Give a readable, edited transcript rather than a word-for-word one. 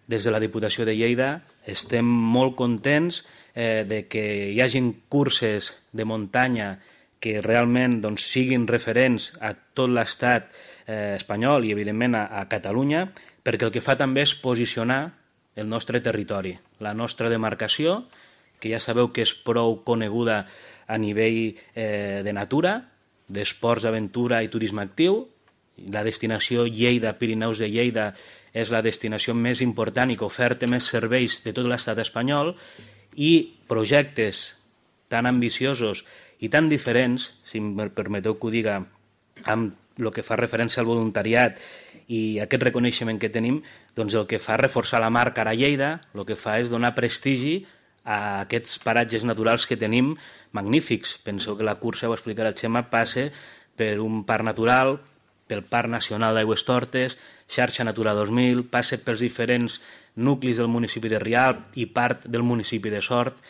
des de la Diputació de Lleida estem molt contents de que hi hagin curses de muntanya que realment siguin referents a tot l'estat espanyol i, evidentment, a Catalunya, perquè el que fa també és posicionar el nostre territori, la nostra demarcació, que ja sabeu que és prou coneguda a nivell de natura, d'esports d'aventura i turisme actiu. La destinació Lleida-Pirineus de Lleida és la destinació més important i que oferta més serveis de tot l'estat espanyol, i projectes tan ambiciosos i tan diferents, si em permeteu que ho diga, amb el que fa referència al voluntariat i aquest reconeixement que tenim, doncs el que fa reforçar la marca a Lleida, el que fa és donar prestigi a aquests paratges naturals que tenim magnífics. Penso que la cursa, ho explicarà el Xema, passa per un parc natural, pel Parc Nacional d'Aigüestortes, Xarxa Natura 2000, passa pels diferents nuclis del municipi de Rialp i part del municipi de Sort.